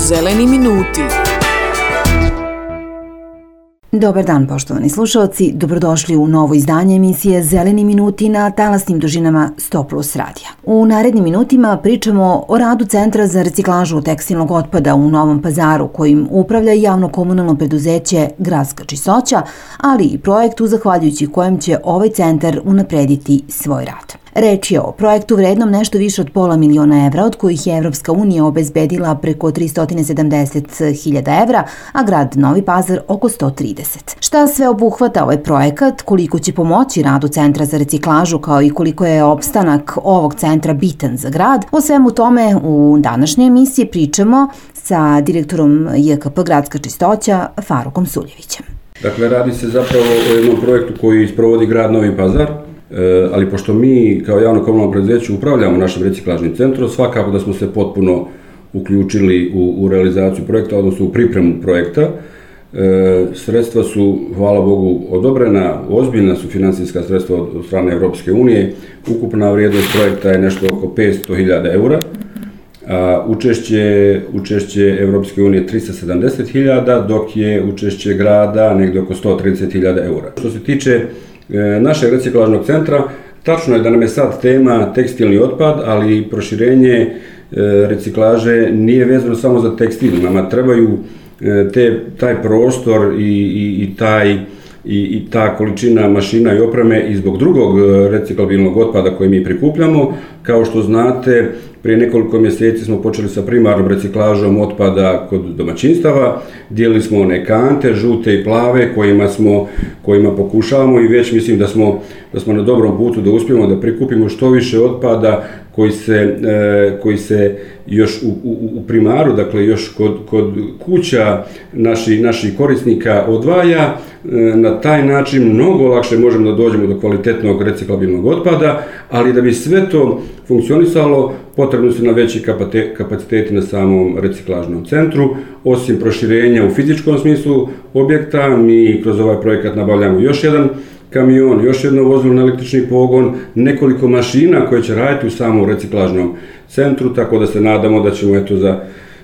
Zeleni minuti. Dobar dan, poštovani slušalci. Dobrodošli u novo izdanje emisije Zeleni minuti na talasnim dužinama 100+ radija. U narednim minutima pričamo o radu Centra za reciklažu tekstilnog otpada u Novom Pazaru, kojim upravlja javno-komunalno preduzeće Gradska čistoća, ali i projektu zahvaljujući kojem će ovaj centar unaprediti svoj rad. Reč je o projektu vrednom nešto više od $500 000, od kojih je Evropska unija obezbedila preko 370.000 evra, a grad Novi Pazar oko 130. Šta sve obuhvata ovaj projekat, koliko će pomoći radu Centra za reciklažu, kao i koliko je opstanak ovog centra bitan za grad, o svemu tome u današnjoj emisiji pričamo sa direktorom JKP Gradska čistoća Farukom Suljevićem. Dakle, radi se zapravo o jednom projektu koji sprovodi grad Novi Pazar, ali pošto mi kao javno komunalno preduzeće upravljamo našim reciklažnim centrom, svakako da smo se potpuno uključili u realizaciju projekta, odnosno u pripremu projekta. Sredstva su, hvala Bogu, odobrena, ozbiljna su financijska sredstva od strane Evropske unije. Ukupna vrijednost projekta je nešto oko 500.000 eura, a učešće Evropske unije 370.000, dok je učešće grada negdje oko 130.000 eura. Što se tiče našeg reciklažnog centra, tačno je da nam je sad tema tekstilni otpad, ali i proširenje reciklaže nije vezano samo za tekstil. Nama trebaju taj prostor i ta količina mašina i opreme i zbog drugog reciklabilnog otpada koji mi prikupljamo. Kao što znate, prije nekoliko mjeseci smo počeli sa primarnom reciklažom otpada kod domaćinstava. Dijelili smo one kante, žute i plave, kojima pokušavamo i već mislim da smo na dobrom putu da uspijemo da prikupimo što više otpada koji se još u primaru, dakle još kod kuća naših korisnika odvaja. Na taj način mnogo lakše možemo da dođemo do kvalitetnog reciklabilnog otpada, ali da bi sve to funkcionisalo, potrebno su nam veći kapaciteti na samom reciklažnom centru. Osim proširenja u fizičkom smislu objekta, mi kroz ovaj projekat nabavljamo još jedan kamion, još jedno vozilo na električni pogon, nekoliko mašina koje će raditi u samom reciklažnom centru, tako da se nadamo da ćemo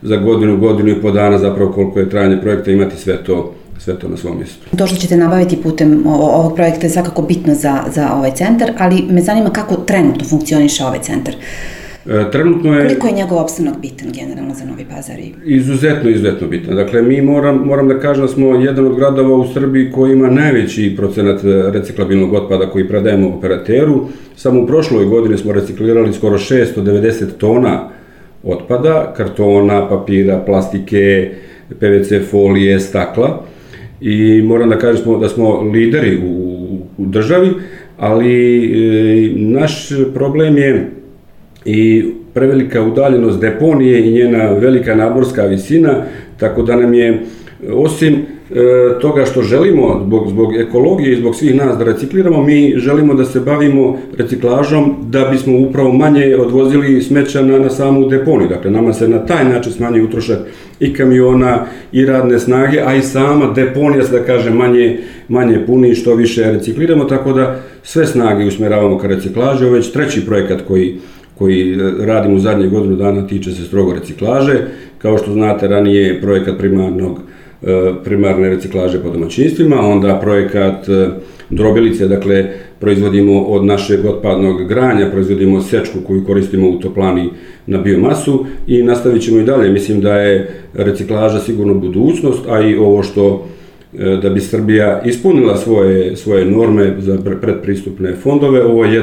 za godinu i po dana, zapravo koliko je trajanje projekta, imati sve to na svom mjestu. To što ćete nabaviti putem ovog projekta je svakako bitno za ovaj centar, ali me zanima kako trenutno funkcioniše ovaj centar. Koliko je njegov opstanak bitan generalno za Novi Pazar? Izuzetno bitan. Dakle, mi moram da kažem da smo jedan od gradova u Srbiji koji ima najveći procenat reciklabilnog otpada koji predajemo operateru. Samo u prošloj godini smo reciklirali skoro 690 tona otpada, kartona, papira, plastike, PVC folije, stakla. I moram da kažem da smo lideri u državi, ali naš problem je i prevelika udaljenost deponije i njena velika nadmorska visina, tako da nam je, osim toga što želimo zbog ekologije i zbog svih nas da recikliramo, mi želimo da se bavimo reciklažom da bismo upravo manje odvozili smeća na samu deponiju. Dakle, nama se na taj način smanjuje utrošak i kamiona i radne snage, a i sama deponija se, da kažem, manje puni što više recikliramo, tako da sve snage usmjeravamo ka reciklaži. Ovo je već treći projekat koji radimo u zadnje godinu dana, tiče se strogo reciklaže. Kao što znate, ranije je projekat primarne reciklaže po domaćinstvima, onda projekat drobilice, dakle proizvodimo od našeg otpadnog granja, proizvodimo sečku koju koristimo u toplani na biomasu i nastavit ćemo i dalje. Mislim da je reciklaža sigurno budućnost, a i ovo što da bi Srbija ispunila svoje norme za predpristupne fondove, ovo je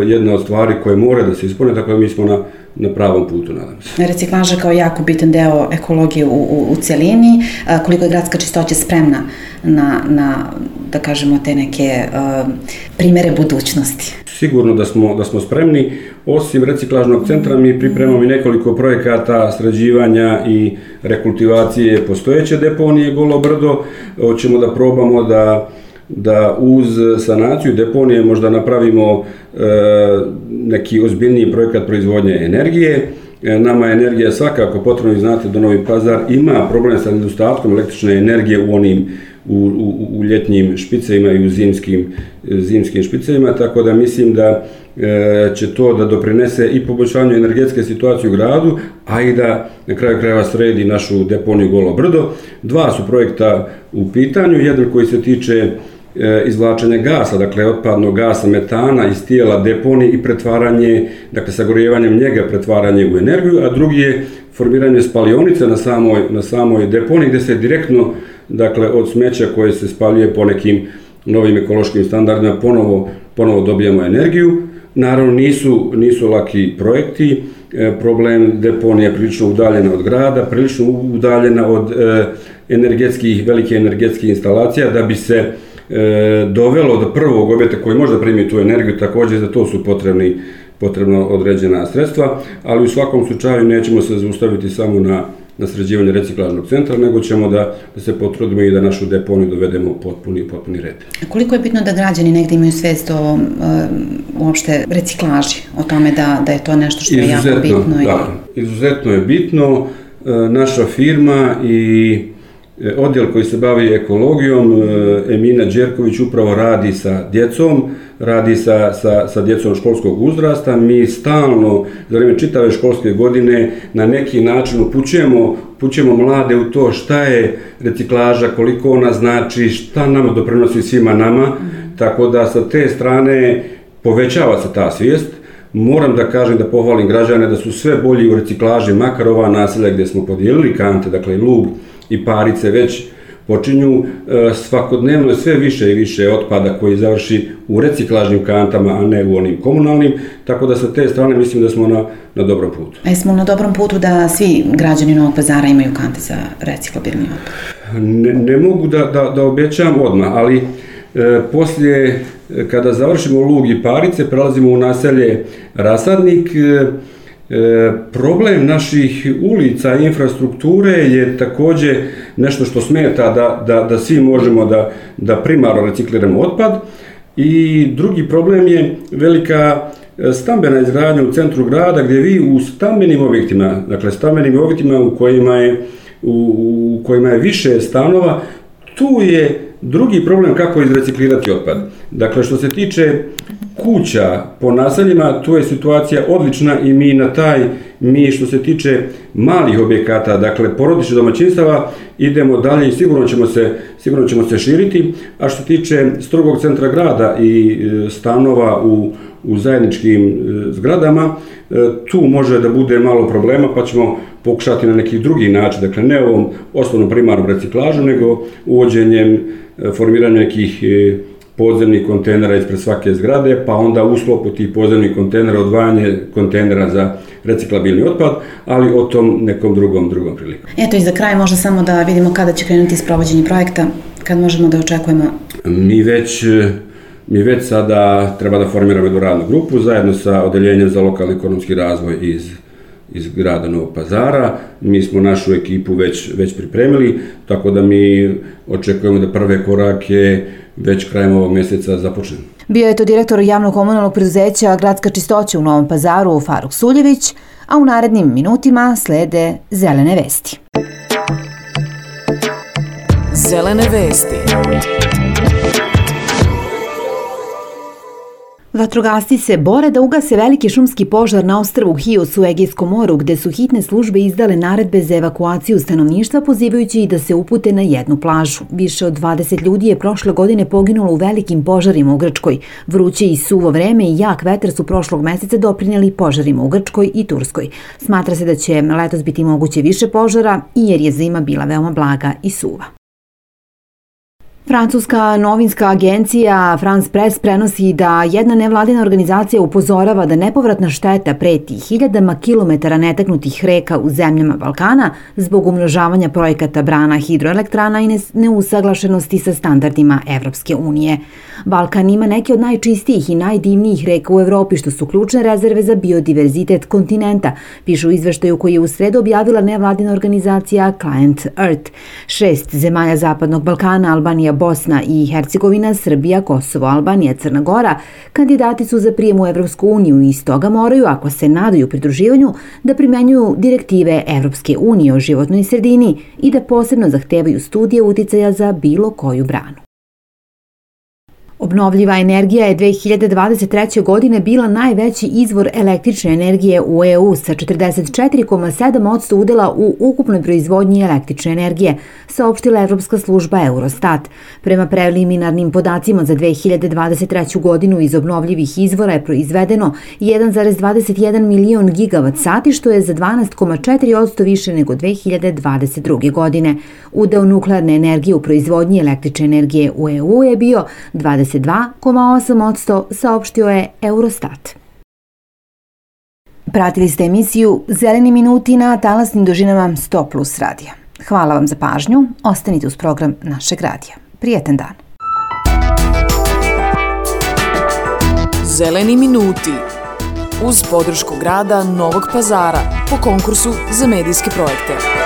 jedna od stvari koje mora da se ispune, tako da mi smo na pravom putu, nadam se. Reciklaža kao jako bitan deo ekologije u celini, koliko je Gradska čistoća spremna na da kažemo, te neke primere budućnosti? Sigurno da smo spremni. Osim reciklažnog centra mi pripremamo i nekoliko projekata sređivanja i rekultivacije postojeće deponije Golo brdo. Hoćemo da probamo da uz sanaciju deponije možda napravimo neki ozbiljniji projekat proizvodnje energije nama je energija svakako potrebno, i znate da Novi Pazar ima problem sa nedostatkom električne energije u ljetnjim špicevima i u zimskim špicevima, tako da mislim da će to da doprinese i poboljšanju energetske situacije u gradu, a i da na kraju krajeva sredi našu deponiju Golo Brdo. Dva su projekta u pitanju, jedan koji se tiče izvlačenja gasa, dakle otpadnog gasa, metana iz tijela deponije i pretvaranje, dakle sagorijevanjem njega pretvaranje u energiju, a drugi je formiranje spalionice na samoj deponiji gdje se direktno, dakle od smeća koje se spaljuje po nekim novim ekološkim standardima ponovo dobijamo energiju. Naravno nisu laki projekti, problem deponija je prilično udaljena od grada, prilično udaljena od velike energetskih instalacija, da bi se dovelo do prvog objekta koji može da primi tu energiju, također za to su potrebno određena sredstva, ali u svakom slučaju nećemo se zaustaviti samo na sređivanje reciklažnog centra, nego ćemo da se potrudimo i da našu deponiju dovedemo u potpuni red. Koliko je bitno da građani negdje imaju svijest o uopšte reciklaži, o tome da je to nešto što je jako bitno? Izuzetno je bitno. Naša firma i odjel koji se bavi ekologijom, Emina Đerković, upravo radi sa djecom, radi sa djecom školskog uzrasta. Mi stalno, za vrijeme čitave školske godine, na neki način upućujemo mlade u to šta je reciklaža, koliko ona znači, šta nama doprinosi svima nama, tako da sa te strane povećava se ta svijest. Moram da kažem, da pohvalim građane da su sve bolji u reciklaži, makar ova naselja gdje smo podijelili kante, dakle Lug i Parice već počinju, svakodnevno je sve više i više otpada koji završi u reciklažnim kantama, a ne u onim komunalnim, tako da sa te strane mislim da smo na dobrom putu. A jesmo na dobrom putu da svi građani Novog Pazara imaju kante za reciklabilni otpad? Ne mogu da obećam odmah, ali poslije, kada završimo Lug i Parice, prelazimo u naselje Rasadnik. Problem naših ulica i infrastrukture je također nešto što smeta da svi možemo da primarno recikliramo otpad, i drugi problem je velika stambena izgradnja u centru grada, gdje vi u stambenim objektima u kojima je više stanova, tu je drugi problem kako izreciklirati otpad. Dakle, što se tiče kuća po naseljima, tu je situacija odlična i mi što se tiče malih objekata, dakle porodičnih domaćinstava, idemo dalje i sigurno ćemo se širiti. A što se tiče strogog centra grada i stanova u zajedničkim zgradama, tu može da bude malo problema, pa ćemo pokušati na neki drugi način, dakle ne ovom osnovnom primarnom reciklažu, nego uvođenjem, formiranjem nekih podzemnih kontejnera ispred svake zgrade, pa onda u sklopu tih podzemnih kontejnera odvajanje kontejnera za reciklabilni otpad, ali o tom nekom drugom prilikom. Eto, i za kraj možda samo da vidimo kada će krenuti sprovođenje projekta, kad možemo da očekujemo? Mi već sada treba da formiramo jednu radnu grupu zajedno sa Odeljenjem za lokalni ekonomski razvoj iz grada Novog Pazara. Mi smo našu ekipu već pripremili, tako da mi očekujemo da prve korake već krajem ovog mjeseca započnemo. Bio je to direktor javnog komunalnog preduzeća Gradska čistoća u Novom Pazaru Faruk Suljević, a u narednim minutima slede zelene vesti. Zelene vesti. Vatrogasci se bore da ugase veliki šumski požar na ostrvu Hios u Egejskom moru, gde su hitne službe izdale naredbe za evakuaciju stanovništva, pozivajući ih da se upute na jednu plažu. Više od 20 ljudi je prošle godine poginulo u velikim požarima u Grčkoj. Vruće i suvo vreme i jak vetar su prošlog meseca doprinijeli požarima u Grčkoj i Turskoj. Smatra se da će letos biti moguće više požara, i jer je zima bila veoma blaga i suva. Francuska novinska agencija France Press prenosi da jedna nevladina organizacija upozorava da nepovratna šteta preti hiljadama kilometara netaknutih reka u zemljama Balkana zbog umnožavanja projekata brana hidroelektrana i neusaglašenosti sa standardima Evropske unije. Balkan ima neke od najčistijih i najdivnijih reka u Evropi, što su ključne rezerve za biodiverzitet kontinenta, pišu u izveštaju koji je u sredu objavila nevladina organizacija Client Earth. 6 zemalja Zapadnog Balkana, Albanija, Bosna i Hercegovina, Srbija, Kosovo, Albanija, Crna Gora kandidati su za prijem u Evropsku uniju i stoga moraju, ako se nadaju pridruživanju, da primenjuju direktive Evropske unije o životnoj sredini i da posebno zahtevaju studije uticaja za bilo koju branu. Obnovljiva energija je 2023. godine bila najveći izvor električne energije u EU sa 44,7% udela u ukupnoj proizvodnji električne energije, saopštila Evropska služba Eurostat. Prema preliminarnim podacima za 2023. godinu iz obnovljivih izvora je proizvedeno 1,21 milion gigavat sati, što je za 12,4% više nego 2022. godine. Udeo nuklearne energije u proizvodnji električne energije u EU je bio 22,8%, saopštio je Eurostat. Pratili ste emisiju Zeleni minuti na talasnim dužinama 100+ radija. Hvala vam za pažnju, ostanite uz program našeg radija. Prijetan dan. Zeleni minuti uz podršku grada Novog Pazara po konkursu za medijske projekte.